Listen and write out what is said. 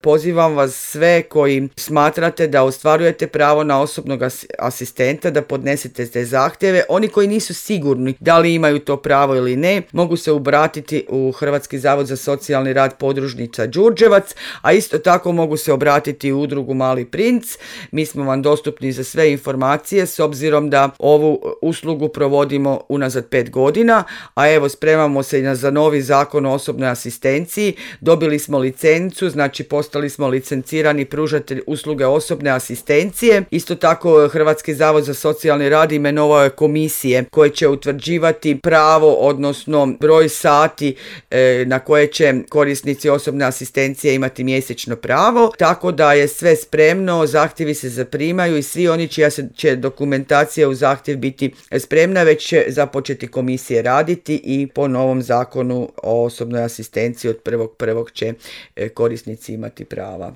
Pozivam vas sve koji smatrate da ostvarujete pravo na osobnog asistenta da podnesete te zahtjeve. Oni koji nisu sigurni da li imaju to pravo ili ne, mogu se obratiti u Hrvatski zavod za socijalni rad podružnica Đurđevac, a isto tako mogu se obratiti u udrugu Mali princ. Mi smo vam dostupni za sve informacije s obzirom da ovu uslugu provodimo unazad 5 godina, a evo spremamo se i za novi zakon o osobnoj asistenciji. Dobili smo licencu, znači postali smo licencirani pružatelj usluge osobne asistencije. Isto tako Hrvatski zavod za socijalni rad imenovao je komisije koje će utvrđivati pravo, odnosno broj sati na koje će korisnici osobne asistencije imati mjesečno pravo, tako da je sve spremno, zahtjevi se zaprimaju i svi oni čija će dokumentacija u zahtjev biti spremna, već će započeti komisije raditi i po novom zakonu o osobnoj asistenciji od 1.1. će korisnici imati prava.